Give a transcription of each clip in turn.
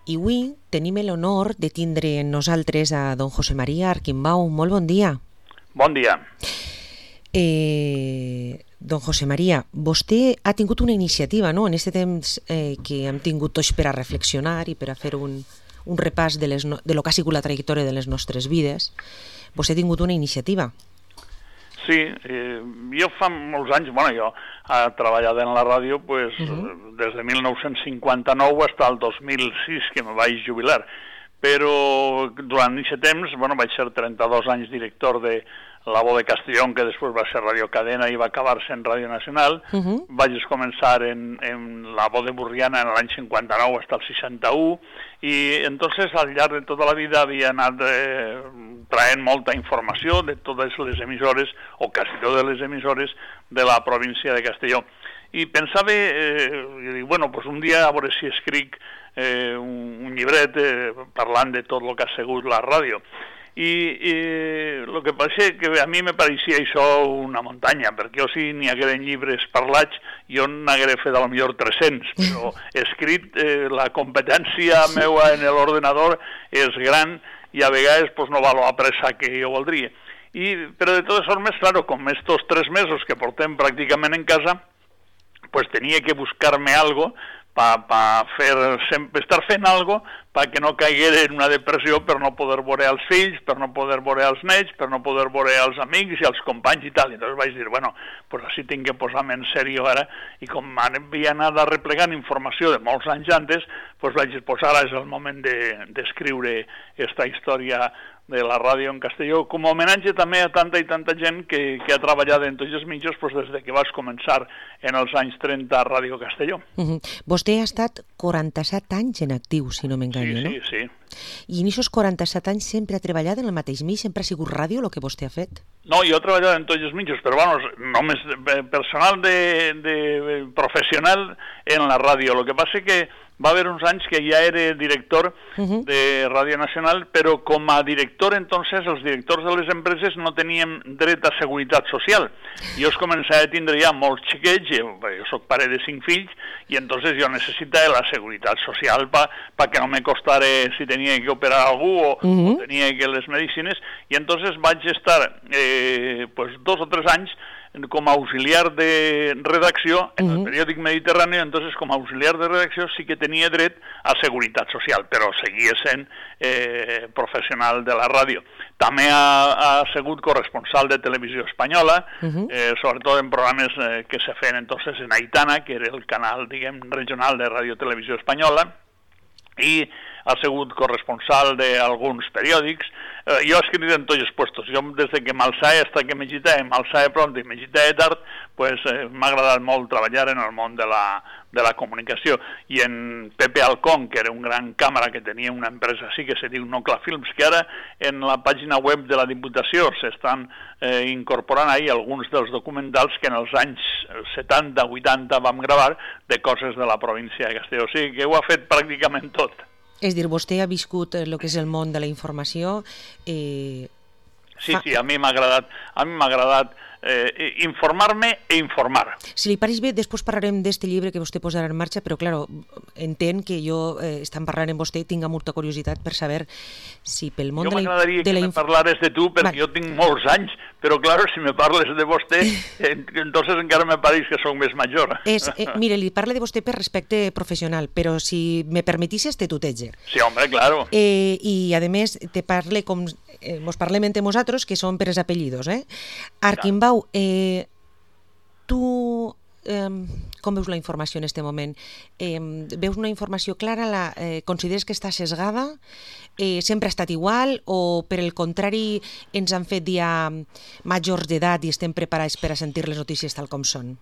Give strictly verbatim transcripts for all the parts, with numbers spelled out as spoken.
I avui tenim l'honor de tindre en nosaltres a don José María Arquimbau. Molt bon dia. Bon dia. Eh, don José María, vostè ha tingut una iniciativa, no?, en aquest temps eh, que hem tingut tots per a reflexionar i per a fer un, un repàs de, les no, de lo que ha sigut la trajectòria de les nostres vides. Vostè ha tingut una iniciativa. Sí, eh, jo fa molts anys, bueno, jo he treballat en la ràdio pues, uh -huh. des de mil nou-cents cinquanta-nou fins al dos mil sis, que me vaig jubilar. Però durant aquest temps, bueno, vaig ser trenta-dos anys director de La Voz de Castellón, que després va ser Radio Cadena i va acabar sent Ràdio Nacional. Uh -huh. Vaig començar en, en La Voz de Burriana en l'any cinquanta-nou fins al seixanta-u, i entonces al llarg de tota la vida havia anat eh, traient molta informació de totes les emissores, o quasi totes les emissores de la província de Castelló. I pensava, eh, i dic, bueno, pues un dia a veure si escric eh, un, un llibret eh, parlant de tot el que ha sigut la ràdio. I el que passa que a mi me pareixia això una muntanya, perquè jo si n'hi hagueren llibres parlats, jo n'haguera fet a lo millor tres-cents, però escrit eh, la competència meua en l'ordenador és gran i a vegades pues, no va la pressa que jo voldria. I, però de totes formes, claro, com estos tres mesos que portem pràcticament en casa, pues tenia que buscar-me algo para pa fer, sempre estar fent algo perquè no caiguera en una depressió per no poder veure els fills, per no poder veure els nets, per no poder veure els amics i els companys i tal. I llavors vaig dir, bueno, pues així tinc que posar-me en sèrio ara, i com havia anat replegant informació de molts anys antes, pues vaig dir, pues ara és el moment d'escriure de, esta història de la ràdio en Castelló, com a homenatge també a tanta i tanta gent que, que ha treballat en tots els mitjans pues, des de que vas començar en els anys trenta a Ràdio Castelló. Uh -huh. Vostè ha estat quaranta-set anys en actiu, si no m'enganyo, sí, no? Sí, sí. I en aquests quaranta-set anys sempre ha treballat en el mateix mig? Sempre ha sigut ràdio el que vostè ha fet? No, jo he treballat en tots els mitjans, però bueno, només personal de, de professional en la ràdio. El que passa que va haver uns anys que ja era director uh-huh. de Ràdio Nacional, però com a director, entonces, els directors de les empreses no teníem dret a seguretat social. Jo es començava a tindre ja molts xiquets, jo, jo soc pare de cinc fills, i entonces jo necessitava la seguretat social per pa que no me costara si tenia que operar algú o, uh-huh. o tenia que les medicines, i entonces vaig estar eh, pues, dos o tres anys com a auxiliar de redacció en el periòdic Mediterrani. Entonces com a auxiliar de redacció sí que tenia dret a seguretat social, però seguia sent eh, professional de la ràdio. També ha, ha sigut corresponsal de Televisió Espanyola, uh-huh. eh, sobretot en programes eh, que se feien entonces en Aitana, que era el canal, diguem, regional de Ràdio Televisió Espanyola, i ha sigut corresponsal d'alguns periòdics. Eh, jo he escrit en tots els puestos. Jo, des de que m'alçava fins que m'agitava, m'alçava pront i m'agitava tard, pues, eh, m'ha agradat molt treballar en el món de la, de la comunicació. I en Pepe Alcón, que era un gran càmera que tenia una empresa així que se diu Nocla Films, que ara en la pàgina web de la Diputació s'estan eh, incorporant ahí alguns dels documentals que en els anys setanta vuitanta vam gravar de coses de la província de Castelló. O sigui que ho ha fet pràcticament tot. És dir, vostè ha viscut el que és el món de la informació. Eh... Sí, sí, a mi m'ha agradat, a mi m'ha agradat eh, informar-me e informar. Si li pareix bé, després parlarem d'este llibre que vostè posarà en marxa, però, clar, entenc que jo, eh, estant parlant amb vostè, tinc molta curiositat per saber si pel món jo de la... Jo m'agradaria que me parlares de tu, perquè vale. Jo tinc molts anys, però, clar, si me parles de vostè, entonces encara me pareix que soc més major. És, eh, mire, li parle de vostè per respecte professional, però si me permetisses te tuteja. Sí, home, claro. Eh, I, a més, te parle com... Eh, mos parlem entre nosaltres, que són per els apellidos, eh? Arquimbau, eh, tu eh, com veus la informació en aquest moment? Eh, veus una informació clara? La, eh, consideres que està sesgada? Eh, sempre ha estat igual? O, per el contrari, ens han fet ja majors d'edat i estem preparats per a sentir les notícies tal com són?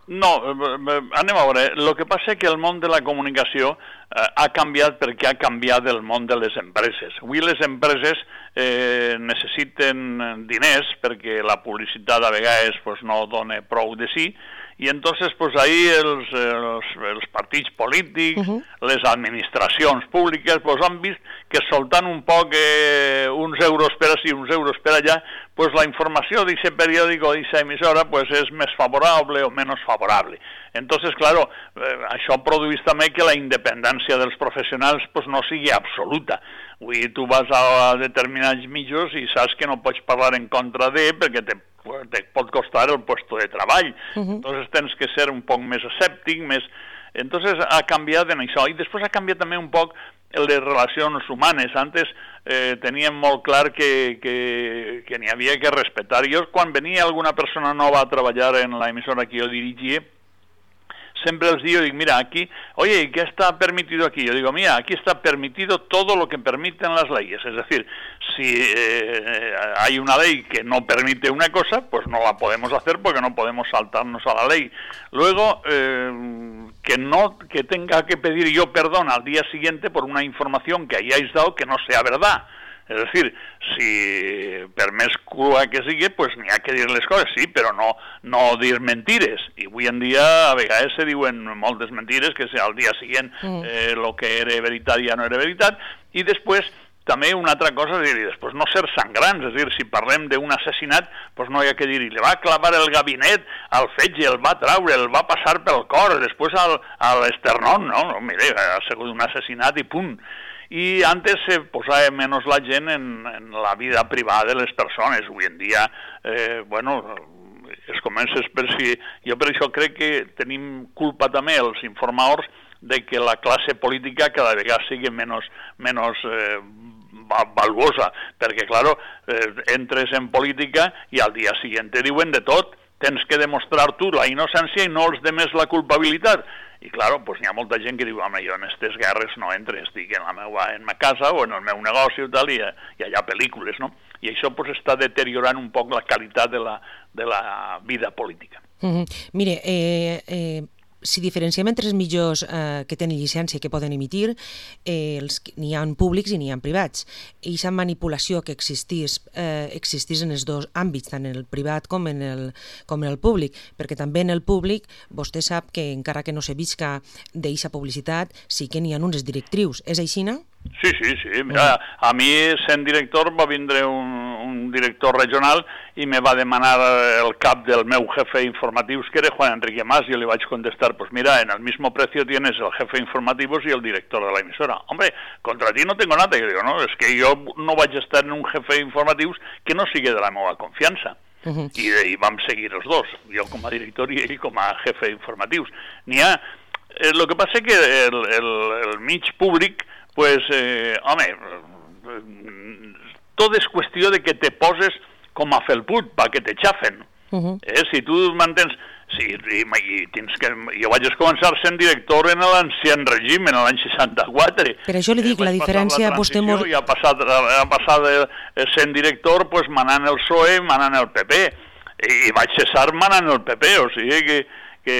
No, anem a veure. El que passa és que el món de la comunicació eh, ha canviat perquè ha canviat el món de les empreses. Avui les empreses eh, necessiten diners perquè la publicitat a vegades pues, no dona prou de sí, i entonces pues ahí els, els, els partits polítics, uh-huh. les administracions públiques, pues han vist que soltant un poc eh, uns euros per ací, uns euros per allà, pues la informació d'aquest periòdic o d'aquesta emissora pues és més favorable o menys favorable. Entonces, claro, eh, això produeix també que la independència dels professionals pues no sigui absoluta. Vull dir, tu vas a determinats mitjans i saps que no pots parlar en contra de perquè te, te pot costar el puesto de treball. Uh-huh. Entonces tens que ser un poc més escèptic, més... Entonces ha canviat en això. I després ha canviat també un poc el de relacions humanes. Antes eh, teníem molt clar que, que, que n'hi havia que respetar. Jo, quan venia alguna persona nova a treballar en la emissora que jo dirigia, siempre les digo, digo, mira, aquí, oye, ¿qué está permitido aquí? Yo digo, mira, aquí está permitido todo lo que permiten las leyes. Es decir, si eh, hay una ley que no permite una cosa, pues no la podemos hacer porque no podemos saltarnos a la ley. Luego, eh, que no que tenga que pedir yo perdón al día siguiente por una información que hayáis dado que no sea verdad. És a dir, si per més crua que sigui, pues n'hi ha que dir les coses, sí, però no, no dir mentires. I avui en dia a vegades se diuen moltes mentires, que al dia següent eh, lo que era veritat ja no era veritat. I després també una altra cosa és dir, després no ser sangrants, és a dir, si parlem d'un assassinat, pues no hi ha que dir, li va clavar el gabinet al fetge, el va traure, el va passar pel cor, després al, a l'esternón, no? no? Mire, ha sigut un assassinat i punt. I antes se posava menys la gent en, en la vida privada de les persones. Avui en dia, eh, bueno, es comença per si... Jo per això crec que tenim culpa també els informadors de que la classe política cada vegada sigui menys, menys eh, valuosa, perquè, claro, eh, entres en política i al dia següent te diuen de tot. Tens que demostrar tu la innocència i no els demés la culpabilitat. I, claro, pues, hi ha molta gent que diu, home, jo en aquestes guerres no entres, estic en la meva en ma casa o en el meu negoci i tal, i, i hi ha pel·lícules, no? I això pues, està deteriorant un poc la qualitat de la, de la vida política. Mm-hmm. Mire, eh, eh, si diferenciem entre els mitjans eh, que tenen llicència i que poden emitir, eh, els, n'hi ha públics i n'hi ha privats. I aquesta manipulació que existís, eh, existís en els dos àmbits, tant en el privat com en el, com en el públic, perquè també en el públic vostè sap que encara que no se visca d'eixa publicitat, sí que n'hi ha unes directrius. És així, no? Sí, sí, sí. Mira, a mi, sent director, va vindre un, un director regional i me va demanar el cap del meu jefe informatius, que era Juan Enrique Mas, y yo le vaig contestar, pues mira, en el mismo precio tienes el jefe informativos y el director de la emisora. Hombre, contra ti no tengo nada. Y yo digo, no, es que jo no vaig estar en un jefe informatius que no sigui de la meva confiança. Uh-huh. I, i vam seguir els dos, jo com a director i ell com a jefe informatius. N'hi ha... Eh, lo que passa que el, el, el mig públic, pues, eh, home, tot és qüestió de que te poses com a felput, pa que te xafen. Uh-huh. eh, si tu mantens... Sí, i, i tens que... Jo vaig començar sent director en l'ancien règim, en l'any seixanta-quatre. Per això li dic, eh, la diferència... La vostè mos... I ha passat, ha passat sent director, pues, manant el P S O E, manant el P P. I, i vaig cessar manant el P P, o sigui que... que...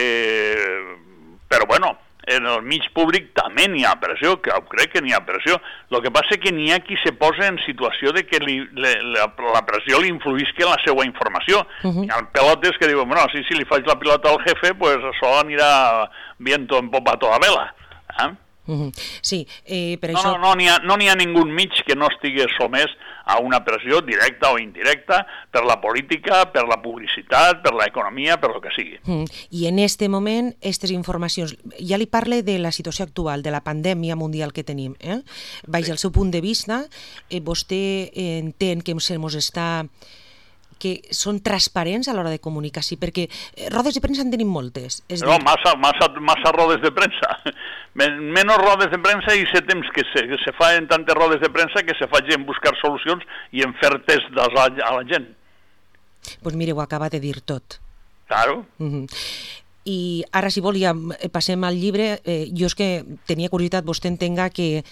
Però bueno... en el mig públic també n'hi ha pressió, que crec que n'hi ha pressió. El que passa és que n'hi ha qui se posa en situació de que li, le, la, la pressió li influïsca en la seva informació. Uh-huh. Hi ha pelotes que diuen, bueno, si, si li faig la pilota al jefe, pues això anirà viento en popa toda vela. Eh? Uh-huh. Sí, eh, per no, això... No, no n'hi ha, no n'hi ha ningú mig que no estigui somès a una pressió directa o indirecta per la política, per la publicitat, per l'economia, per lo que sigui. Uh-huh. I en este moment, aquestes informacions... Ja li parle de la situació actual, de la pandèmia mundial que tenim. Eh? Baix sí. El seu punt de vista, eh, vostè eh, entén que se mos està... que són transparents a l'hora de comunicar, sí, perquè rodes de premsa en tenim moltes. És no, dir... massa, massa, massa rodes de premsa. Menys rodes de premsa i sé temps que se, que se fa en tantes rodes de premsa que se fa en buscar solucions i en fer tests a la, a la gent. Doncs pues mire, ho acaba de dir tot. Claro. Uh-huh. I ara, si vol, ja passem al llibre. Eh, jo és que tenia curiositat, vostè entenga que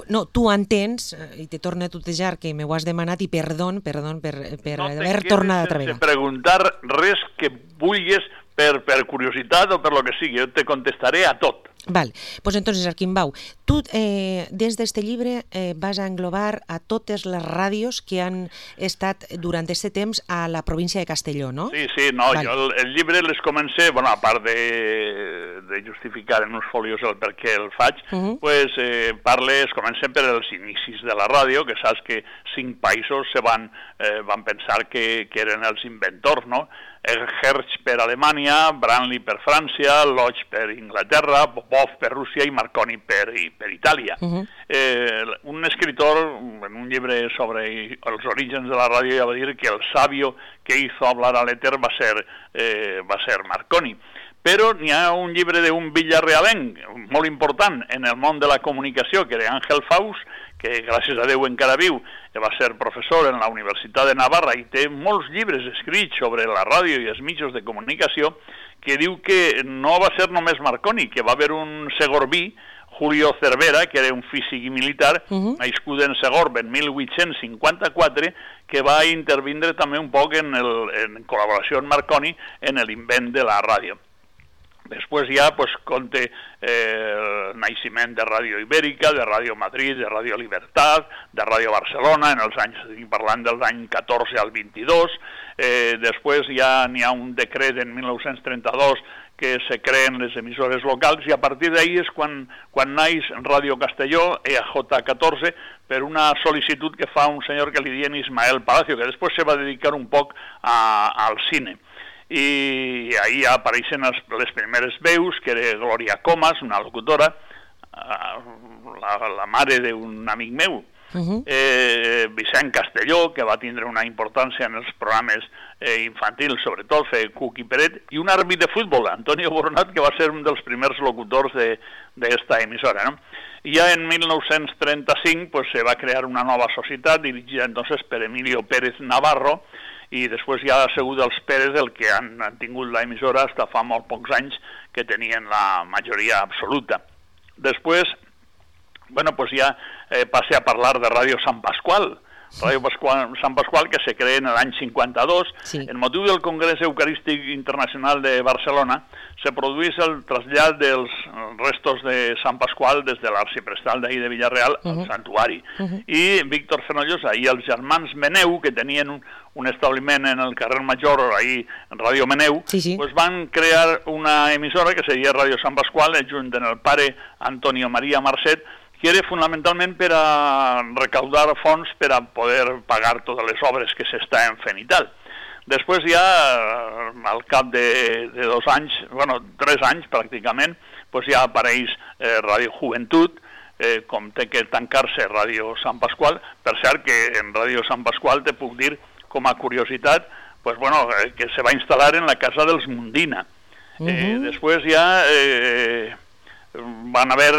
no, tu entens, i te torno a tutejar que me ho has demanat, i perdó, perdó per, per no haver tornat altra vegada. No preguntar res que vulguis per, per curiositat o per lo que sigui, jo te contestaré a tot. Val, pues entonces, Arquimbau, tu eh, des d'este llibre eh, vas a englobar a totes les ràdios que han estat durant aquest temps a la província de Castelló, no? Sí, sí, no, Val. jo el, el llibre les comencé, bueno, a part de, de justificar en uns folios el per què el faig, uh -huh. pues eh, parle, es comencen per els inicis de la ràdio, que saps que cinc països se van, eh, van pensar que, que eren els inventors, no? Hertz per Alemanya, Branly per França, Lodge per Inglaterra, Popov per Rússia i Marconi per, per Itàlia. Uh -huh. eh, un escritor, en un llibre sobre els orígens de la ràdio, ja va dir que el sabio que hizo hablar al éter va ser, eh, va ser Marconi. Però n'hi ha un llibre d'un villarrealenc molt important en el món de la comunicació, que era Àngel Faust, que gràcies a Déu encara viu, va ser professor en la Universitat de Navarra i té molts llibres escrits sobre la ràdio i els mitjans de comunicació, que diu que no va ser només Marconi, que va haver un segorbí, Julio Cervera, que era un físic i militar, uh-huh. nascut en Segorb en mil vuit-cents cinquanta-quatre, que va intervindre també un poc en, el, en col·laboració amb Marconi en l'invent de la ràdio. Després ja pues, conté eh, el naixement de Ràdio Ibèrica, de Ràdio Madrid, de Ràdio Libertat, de Ràdio Barcelona, en els anys, parlant dels anys catorze al vint-i-dos. Eh, després ja n'hi ha un decret en mil nou-cents trenta-dos que se creen les emissores locals i a partir d'ahir és quan, quan naix Ràdio Castelló, E A J catorze, per una sol·licitud que fa un senyor que li diuen Ismael Palacio, que després se va dedicar un poc a, al cine. I ahí ja apareixen les, les primeres veus, que era Glòria Comas, una locutora, la, la mare d'un amic meu, uh-huh. eh, Vicent Castelló, que va tindre una importància en els programes eh, infantils, sobretot fer Cuc i Peret, i un àrbit de futbol, Antonio Boronat, que va ser un dels primers locutors d'esta emissora, no? I ja en mil nou-cents trenta-cinc pues, se va crear una nova societat dirigida entonces per Emilio Pérez Navarro, i després ja ha sigut els Pérez el que han, han tingut l'emissora fins fa molt pocs anys que tenien la majoria absoluta. Després, bueno, pues ja eh, passé a parlar de Ràdio Sant Pasqual, Ràdio Pasqual, Sant Pasqual, que se crea en l'any cinquanta-dos. Sí. En motiu del Congrés Eucarístic Internacional de Barcelona, se produeix el trasllat dels restos de Sant Pasqual des de l'arxiprestal d'ahir de Villarreal uh-huh. al santuari. Uh-huh. I Víctor Fenollosa i els germans Meneu, que tenien un, un establiment en el carrer Major, ahir en Ràdio Meneu, sí, sí. Pues van crear una emissora que seria Ràdio Sant Pasqual, junt amb el pare Antonio María Marcet, que era fonamentalment per a recaudar fons per a poder pagar totes les obres que s'estaven fent i tal. Després ja, al cap de, de dos anys, bueno, tres anys pràcticament, pues ja apareix eh, Ràdio Joventut, eh, com té que tancar-se Ràdio Sant Pasqual. Per cert que en Ràdio Sant Pasqual te puc dir, com a curiositat, pues, bueno, eh, que se va instal·lar en la casa dels Mundina. Uh-huh. eh, després ja eh, van haver...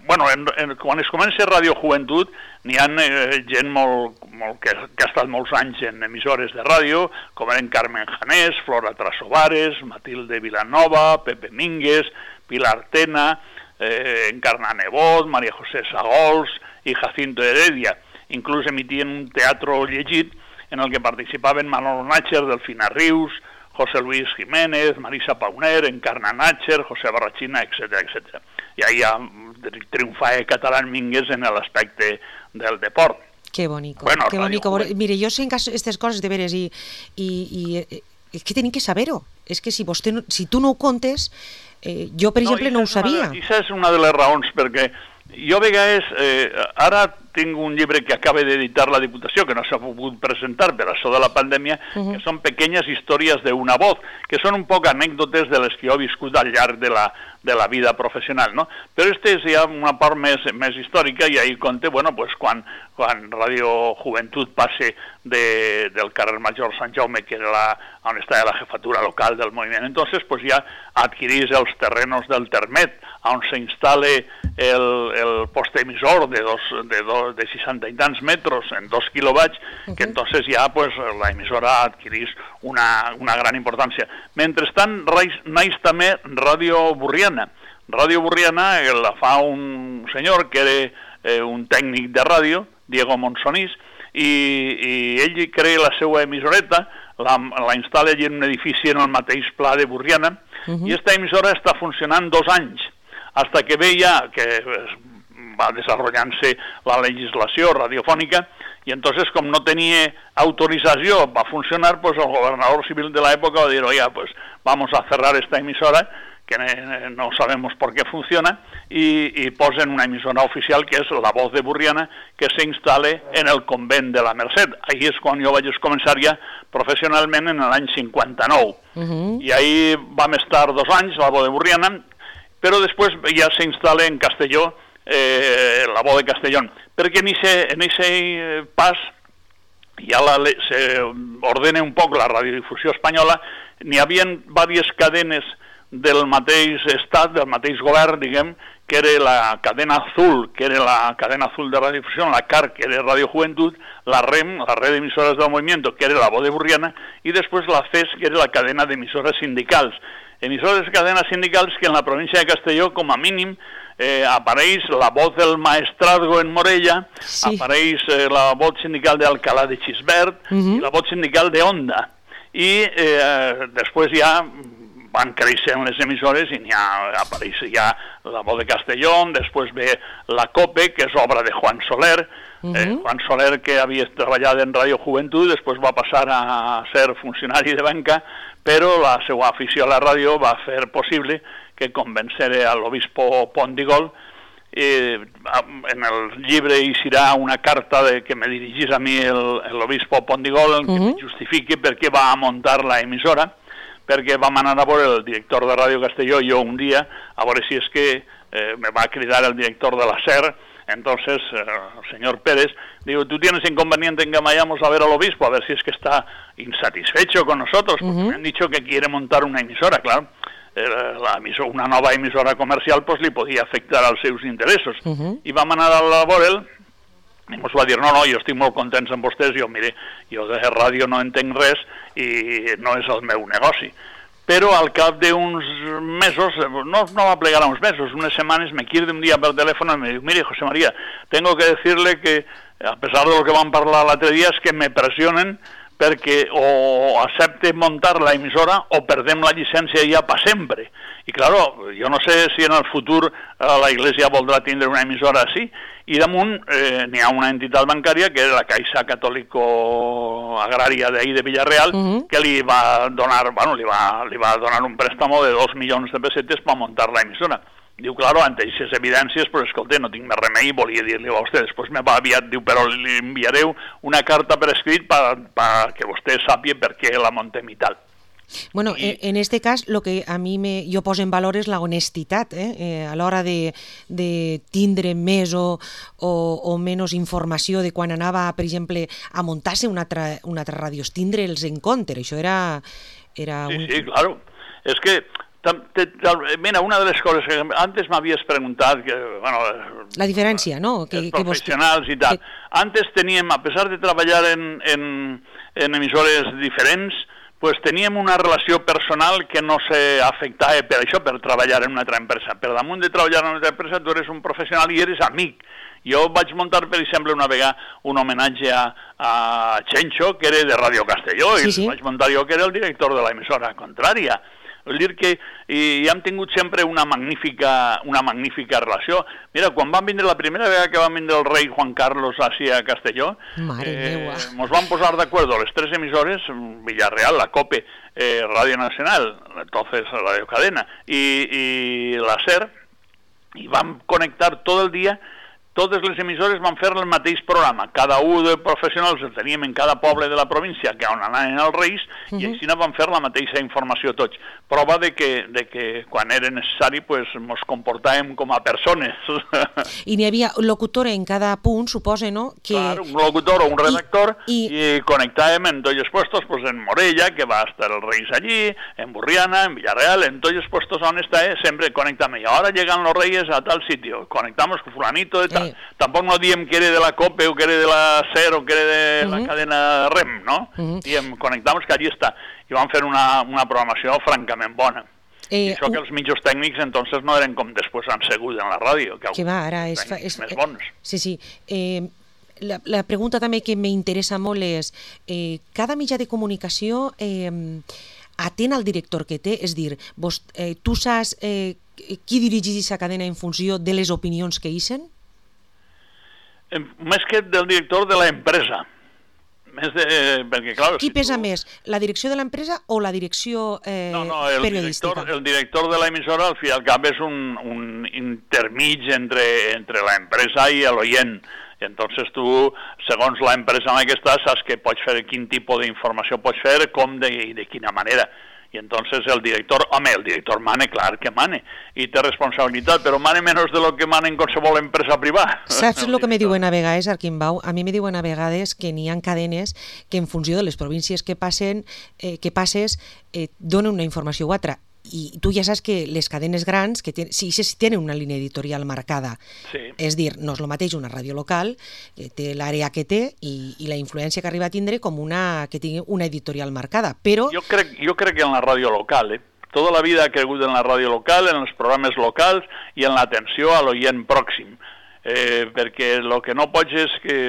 Bueno, en, en, quan es comença Ràdio Joventut, n'hi ha eh, gent molt, molt que, que ha estat molts anys en emissores de ràdio, com eren Carmen Janés, Flora Trasovares, Matilde Vilanova, Pepe Mínguez, Pilar Tena, eh, Encarna Nebot, María José Sagols i Jacinto Heredia. Inclús emitien un teatre llegit en el que participaven Manolo Nácher, Delfina Rius, José Luis Jiménez, Marisa Pauner, Encarna Nácher, José Barrachina, etcètera, etcètera. I ahí ja triomfa Catalán Mínguez en l'aspecte del deport. Qué bonico, bueno, qué bonico. Joven. Mire, yo sé en estas cosas de veres y, y, y es que tenim que saber-ho. És que si, vostè no, si tu no ho contes, eh, jo, per no, exemple, no ho sabia. I això és una de les raons, perquè jo a vegades, eh, ara tinc un llibre que acaba d'editar la Diputació, que no s'ha pogut presentar per això de la pandèmia, uh-huh. que són pequeñas històries d'una voz, que són un poc anècdotes de les que jo he viscut al llarg de la, de la vida professional, no? Però aquesta és ja una part més, més històrica i ahí conté, bueno, pues quan, quan Ràdio Joventut passe de, del carrer Major Sant Jaume, que era la, on estava la jefatura local del moviment, entonces pues ja adquirís els terrenos del Termet, on s'instal·la el, el poste emissor de, dos, de, dos, de seixanta i tants metres en dos quilowatts, uh-huh. que entonces ja pues, la emissora adquirís una, una gran importància. Mentrestant, naix també Ràdio Burriana. Ràdio Burriana la fa un senyor que era eh, un tècnic de ràdio, Diego Monsonís, i, i ell crea la seva emissoreta, la, la instal·la en un edifici en el mateix pla de Burriana, Uh-huh. Y esta emisora está funcionant dos anys, hasta que veia que va desarrollant-se la legislació radiofònica, y entonces, com no tenia autorització para funcionar, pues el gobernador civil de la época va dir, oiga, pues vamos a cerrar esta emisora, que no sabemos por qué funciona, y, y posen una emisora oficial que és La Voz de Burriana, que s'instal·la en el convent de la Merced. Ahí és quan jo vaig començar ja professionalment en l'any cinquanta-nou. Uh-huh. I ahí vam estar dos anys, La Voz de Burriana, però després ja s'instal·la en Castelló, eh, La Voz de Castellón, perquè en aquest pas ja la, se ordena un poc la radiodifusió espanyola, n'hi havia diverses cadenes del mateix estat, del mateix govern, diguem, que era la cadena azul, que era la cadena azul de radiodifusió, la C A R, que era Radio Juventud, la REM, la red de emisoras del movimiento, que era La Voz de Burriana, i després la C E S, que era la cadena d'emissores sindicals. Emissores de cadenes sindicals que en la província de Castelló, com a mínim, eh, apareix la Voz del Maestrazgo en Morella, sí. apareix eh, la Voz sindical d'Alcalá de Xisbert, uh-huh. i la Voz sindical de Onda. I eh, després ja van creixent les emissores i ja apareix ja La Voz de Castellón, després ve la COPE, que és obra de Juan Soler, uh-huh. eh, Juan Soler que havia treballat en Radio Juventud, després va passar a ser funcionari de banca, però la seva afició a la ràdio va fer possible que convencere a l'obispo Pondigol. Eh, en el llibre hi serà una carta de, que me dirigís a mi l'obispo Pondigol, uh-huh. que me justifique per què va muntar la emissora, perquè vam anar a veure el director de Ràdio Castelló jo un dia, a veure si és que eh, me va cridar el director de la S E R, entonces eh, el señor Pérez, digo, ¿tú tienes inconveniente en que vayamos a ver al obispo? A ver si es que está insatisfecho con nosotros, porque uh-huh. me han dicho que quiere montar una emisora, claro. Eh, la emisora, una nova emissora comercial pues li podia afectar als seus interessos. Uh-huh. I vam anar a la veure'l, i ens va dir, no, no, jo estic molt contents amb vostès, jo, mire, jo de ràdio no entenc res i no és el meu negoci. Però al cap d'uns mesos, no, no va plegar a uns mesos, unes setmanes, me quiere un día per telèfon i me diu, mire, José María, tengo que decirle que, a pesar de lo que van parlar l'altre dia, és que me pressionen perquè o accepte muntar la emissora o perdem la llicència ja per sempre. I, claro, jo no sé si en el futur eh, la Iglesia voldrà tindre una emissora així, i damunt eh, n'hi ha una entitat bancària que és la Caixa Catòlico Agrària d'ahí de Villarreal, uh-huh. que li va donar, bueno, li va, li va donar un préstamo de dos milions de pessetes per muntar la emissora. Diu, claro, ante aquestes evidències, però escolta, no tinc més remei, volia dir-li a vostè. Després me va aviat, diu, però li enviareu una carta per escrit per que vostè sàpia per què la montem i tal. Bueno, I... en este cas, lo que a mi me, jo poso en valor és la honestitat, eh? Eh, a l'hora de, de tindre més o, o, o menys informació de quan anava, per exemple, a muntar-se una altra, una altra ràdio, tindre'ls en compte. Això era... era sí, un... sí, claro. És que mira, una de les coses que antes m'havies preguntat que, bueno, la diferència, no? Que, els professionals que vos... i tal. Que... Antes teníem, a pesar de treballar en, en, en emissores diferents, pues teníem una relació personal que no s'afectava per això, per treballar en una altra empresa. Per damunt de treballar en una altra empresa, tu eres un professional i eres amic. Jo vaig muntar, per exemple, una vegada un homenatge a, a Chencho, que era de Radio Castelló, sí, i sí. vaig muntar jo, que era el director de l'emissora contrària. Vull dir que i hem tingut sempre una magnífica, una magnífica relació. Mira, quan van vindre la primera vegada que va vindre el rei Juan Carlos hacia Castelló, eh, ens vam posar d'acord les tres emissores, Villarreal, la COPE, eh, Radio Nacional, entonces Radio Cadena, i, i la S E R, i vam connectar tot el dia. Totes les emissores van fer el mateix programa. Cada un de professionals el teníem en cada poble de la província que on anaven els reis, uh-huh. i així van fer la mateixa informació tots. Prova de que, de que quan era necessari pues, ens comportàvem com a persones. I n'hi havia locutor en cada punt, suposa, no? Que... Clar, un locutor o un redactor, i, i... i connectàvem en tots els puestos, pues, en Morella, que va estar els reis allí, en Burriana, en Villarreal, en tots els puestos on està, eh, sempre connectamos. I ara llegan los reyes a tal sitio, conectamos con fulanito de tal. Eh. Tampoc no diem que era de la COPE o que era de la S E R o que era de uh-huh. la cadena REM, no? Uh-huh. Diem, connectamos que allí està. I vam fer una, una programació francament bona. Eh, I això que els mitjos tècnics entonces no eren com després han segut en la ràdio, que, que va, ara és, fa, és més bons. Sí, sí. Eh, la, la pregunta també que m'interessa molt és, eh, cada mitjà de comunicació eh, atén al director que té? És dir, vos, eh, tu saps eh, qui dirigeix aquesta cadena en funció de les opinions que ixen? Més que del director de l'empresa. Més de... Perquè, clar, qui si pesa tu... més, la direcció de l'empresa o la direcció eh, no, no, el periodística? Director, el director de l'emissora, al fi i al cap, és un, un intermig entre, entre l'empresa i l'oient. I entonces tu, segons l'empresa en la que estàs, saps que pots fer, quin tipus d'informació pots fer, com de, i de quina manera. I entonces el director, home, el director mane, clar que mane, i té responsabilitat, però mane menys de lo que mane en qualsevol empresa privada. Saps el que me diuen a vegades, Arquimbau? A mi me diuen a vegades que n'hi ha cadenes que en funció de les províncies que passen, eh, que passes, eh, donen una informació o altra. I tu ja saps que les cadenes grans, que ten, sí, sí tenen una línia editorial marcada, sí. És dir, no és el mateix una ràdio local, que té l'àrea que té i, i la influència que arriba a tindre com una que tingui una editorial marcada, però... Jo crec, jo crec que en la ràdio local, eh? Tota la vida ha cregut en la ràdio local, en els programes locals i en l'atenció a l'oient pròxim. Eh, perquè el que no pots és que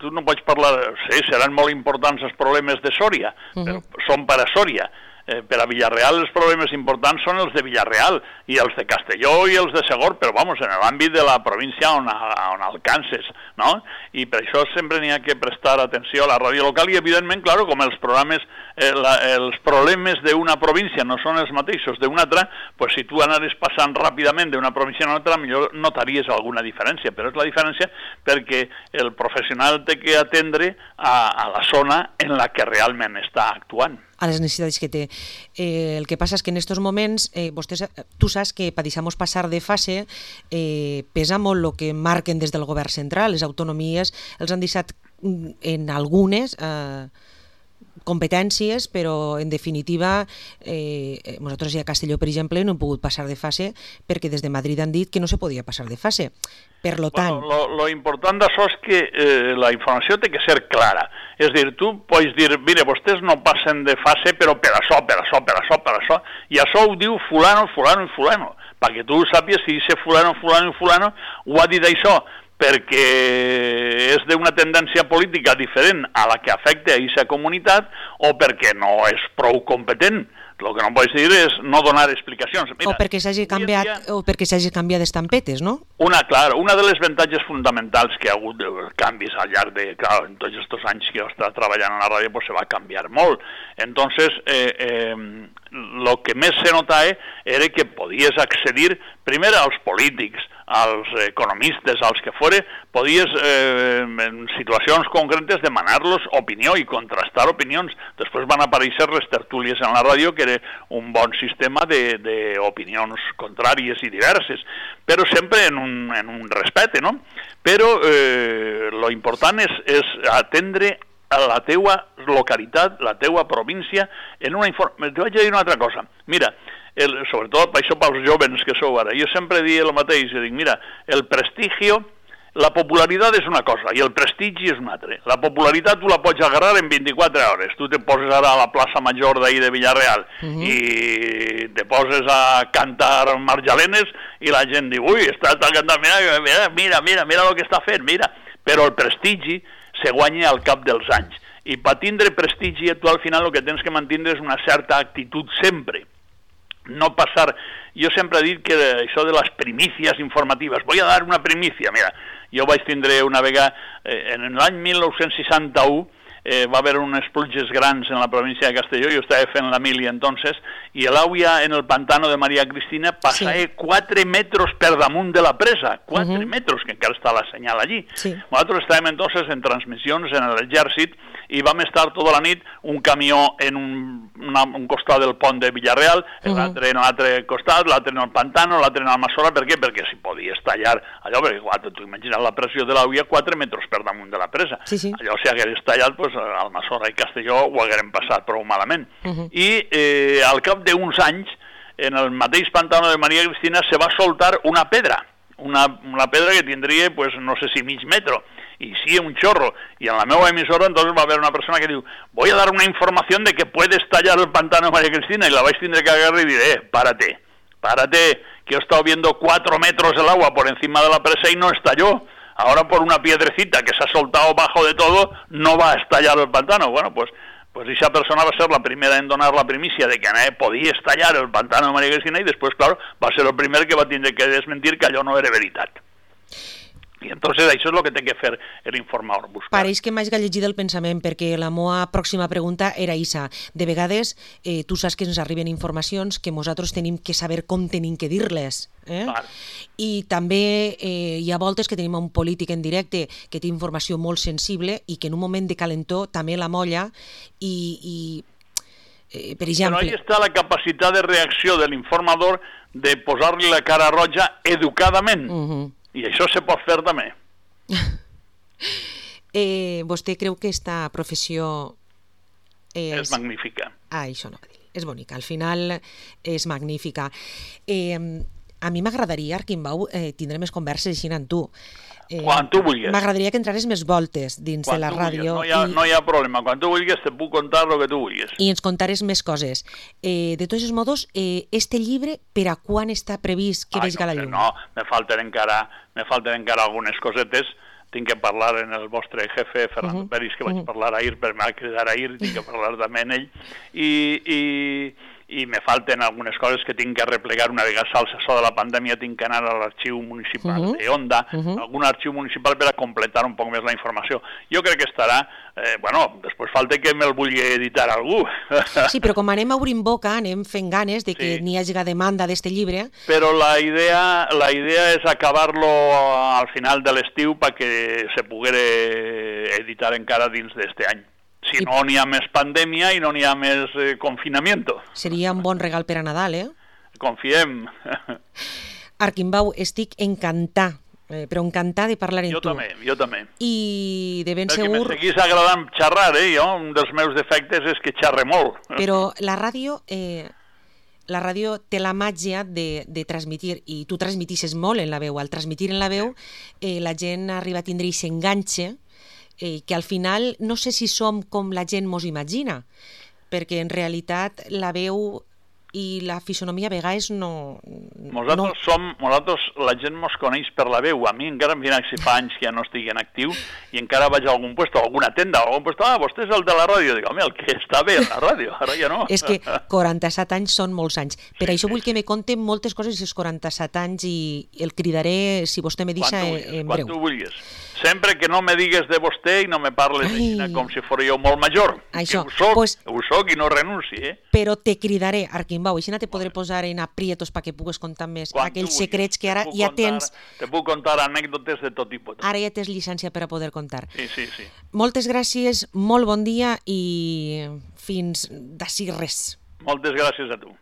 tu no pots parlar, sí, seran molt importants els problemes de Sòria, uh-huh. però són per a Sòria. Eh, per a Villarreal els problemes importants són els de Villarreal i els de Castelló i els de Segor, però vamos, en l'àmbit de la província on, on alcances, no? I per això sempre n'hi ha que prestar atenció a la ràdio local i evidentment, claro, com els programes, eh, la, els problemes d'una província no són els mateixos d'una altra, pues si tu anaves passant ràpidament d'una província a una altra, millor notaries alguna diferència, però és la diferència perquè el professional té que atendre a, a la zona en la que realment està actuant. A les necessitats que té. Eh, el que passa és que en aquests moments, eh, vostès, tu saps que per deixar-nos passar de fase eh, pesa molt el que marquen des del govern central, les autonomies els han deixat en algunes eh, competències, però en definitiva eh, nosaltres ja a Castelló, per exemple, no hem pogut passar de fase perquè des de Madrid han dit que no se podia passar de fase. Per lo tant... Bueno, lo, lo important d'això és que eh, la informació té que ser clara. És a dir, tu pots dir, mire, vostès no passen de fase, però per això, per això, per això, per això, i això ho diu fulano, fulano i fulano, perquè tu sàpies si dice fulano, fulano i fulano, ho ha dit això, perquè és d'una tendència política diferent a la que afecta a aquesta comunitat o perquè no és prou competent. El que no pots dir és no donar explicacions. Mira, o perquè s'hagi canviat, dia, o perquè s'hagi canviat d'estampetes, no? Una, clar, una de les avantatges fonamentals que ha hagut de canvis al llarg de, clar, en tots aquests anys que jo estava treballant a la ràdio, pues se va canviar molt. Entonces, eh, eh, lo que més se notava era que podies accedir primer als polítics, als economistes, als que fora, podies eh, en situacions concretes demanar-los opinió i contrastar opinions. Després van aparèixer les tertúlies en la ràdio, que era un bon sistema d'opinions contràries i diverses, però sempre en un, en un respecte, no? Però eh, lo important és, és atendre a la teua localitat, la teua província, en una informació. Te vaig a dir una altra cosa. Mira, el, sobretot per això pels joves que sou ara, jo sempre dic el mateix, jo dic, mira, el prestigio, la popularitat és una cosa i el prestigi és una altra. La popularitat tu la pots agarrar en vint-i-quatre hores. Tu te poses ara a la plaça Major d'ahir de Villarreal uh-huh. i te poses a cantar marjalenes i la gent diu, ui, està, està cantant, mira, mira, mira, mira, mira el que està fent, mira. Però el prestigi se guanya al cap dels anys. I per tindre prestigi, tu al final el que tens que mantenir és una certa actitud sempre. No passar... Jo sempre he dit que això de les primícies informatives, voy a dar una primícia, mira, jo vaig tindre una vegada, eh, en l'any mil nou-cents seixanta-u, eh, va haver unes pluges grans en la província de Castelló, jo estava fent la mili entonces, i l'aigua en el pantano de Maria Cristina passava sí. quatre metres per damunt de la presa, quatre uh-huh. metres, que encara està la senyal allí. Sí. Nosaltres estàvem entonces en transmissions en l'exèrcit i vam estar tota la nit un camió en un, una, un costat del pont de Villarreal, uh-huh. l'altre en l'altre costat, l'altre en el pantano, l'altre en Almassora. Per què? Perquè si podies tallar allò, perquè igual, tu imagines la pressió de l'aigua quatre metres per damunt de la presa. Sí, sí. Allò si hagués tallat, pues, Almassora i Castelló ho hagueren passat prou malament. Uh-huh. I eh, al cap d'uns anys, en el mateix pantano de Maria Cristina se va soltar una pedra, una, una pedra que tindria, pues, no sé si mig metro, y sí, un chorro. Y en la meva emisora entonces va a haber una persona que diu, voy a dar una información de que puedes tallar el pantano de María Cristina, y la vais a tener que agarrar y diré, eh, párate, párate, que he estado viendo cuatro metros el agua por encima de la presa y no estalló. Ahora por una piedrecita que se ha soltado bajo de todo, no va a estallar el pantano. Bueno, pues pues esa persona va a ser la primera en donar la primicia de que eh, podia estallar el pantano de María Cristina i després, clar, va ser el primer que va tindre que desmentir que allò no era veritat. I entonces això és el que té que fer l'informador. Buscar. Pareix que m'haig llegit el pensament, perquè la meva pròxima pregunta era isa. De vegades, eh, tu saps que ens arriben informacions que nosaltres tenim que saber com tenim que dir-les. Eh? I també eh, hi ha voltes que tenim un polític en directe que té informació molt sensible i que en un moment de calentó també la molla i... i eh, per exemple... Però ahí està la capacitat de reacció de l'informador de posar-li la cara roja educadament. Uh-huh. I això se pot fer també. eh, vostè creu que esta professió... És, és magnífica. Ah, això no va dir. És bonica. Al final és magnífica. Eh, a mi m'agradaria, Arquimbau, eh, tindre més converses així amb tu. Eh, Quan tu vulguis. M'agradaria que entrares més voltes dins Quan de la ràdio. No hi, ha, i... no hi ha problema. Quan tu vulguis te puc contar el que tu vulguis. I ens contares més coses. Eh, de tots els modos, eh, este llibre, per a quan està previst que vegi no, la llum? No, me falten encara, me falten encara algunes cosetes. Tinc que parlar en el vostre jefe, Fernando uh -huh. Peris, que vaig uh -huh. parlar ahir, per m'ha cridar ahir, tinc que parlar també amb ell. I... i i me falten algunes coses que tinc que replegar una vegada salsa això de la pandèmia, tinc que anar a l'arxiu municipal uh -huh. de Onda, uh -huh. algun arxiu municipal per a completar un poc més la informació. Jo crec que estarà, eh, bueno, després falta que me'l vulgui editar algú. Sí, però com anem obrint boca, anem fent ganes de que sí. n'hi hagi demanda d'este llibre. Però la idea, la idea és acabar-lo al final de l'estiu perquè se poguera editar encara dins d'este any. Si I... no n'hi ha més pandèmia i no n'hi ha més eh, confinamiento. Seria un bon regal per a Nadal, eh? Confiem. Arquimbau, estic encantat, eh, però encantat de parlar amb jo tu. Jo també, jo també. I de ben Perquè segur... me seguís agradant xerrar, eh? Jo, un dels meus defectes és que xerre molt. Però la ràdio... Eh... La ràdio té la màgia de, de transmitir, i tu transmitisses molt en la veu. Al transmitir en la veu, eh, la gent arriba a tindre i s'enganxa, Eh, que al final no sé si som com la gent mos imagina, perquè en realitat la veu i la fisonomia a vegades no... Nosaltres no... som, nosaltres, la gent mos coneix per la veu. A mi encara em viene si fa anys que ja no estigui en actiu i encara vaig a algun puesto, a alguna tenda, a algun puesto, ah, vostè és el de la ràdio. Dic, home, el que està bé en la ràdio, ara ja no. És que quaranta-set anys són molts anys. Per sí, això vull que me conte moltes coses dels quaranta-set anys i el cridaré, si vostè me deixa, en breu. Quan tu vulguis. Sempre que no me digues de vostè i no me parles d'aixina com si fos jo molt major. Això, que ho soc, pues, ho soc i no renunci, eh? Però te cridaré, Arquimbau, així te podré posar en aprietos perquè pugues contar més Quan aquells secrets que ara ja contar, tens... Te puc contar anècdotes de tot tipus. Ara ja tens llicència per a poder contar. Sí, sí, sí. Moltes gràcies, molt bon dia i fins d'ací res. Moltes gràcies a tu.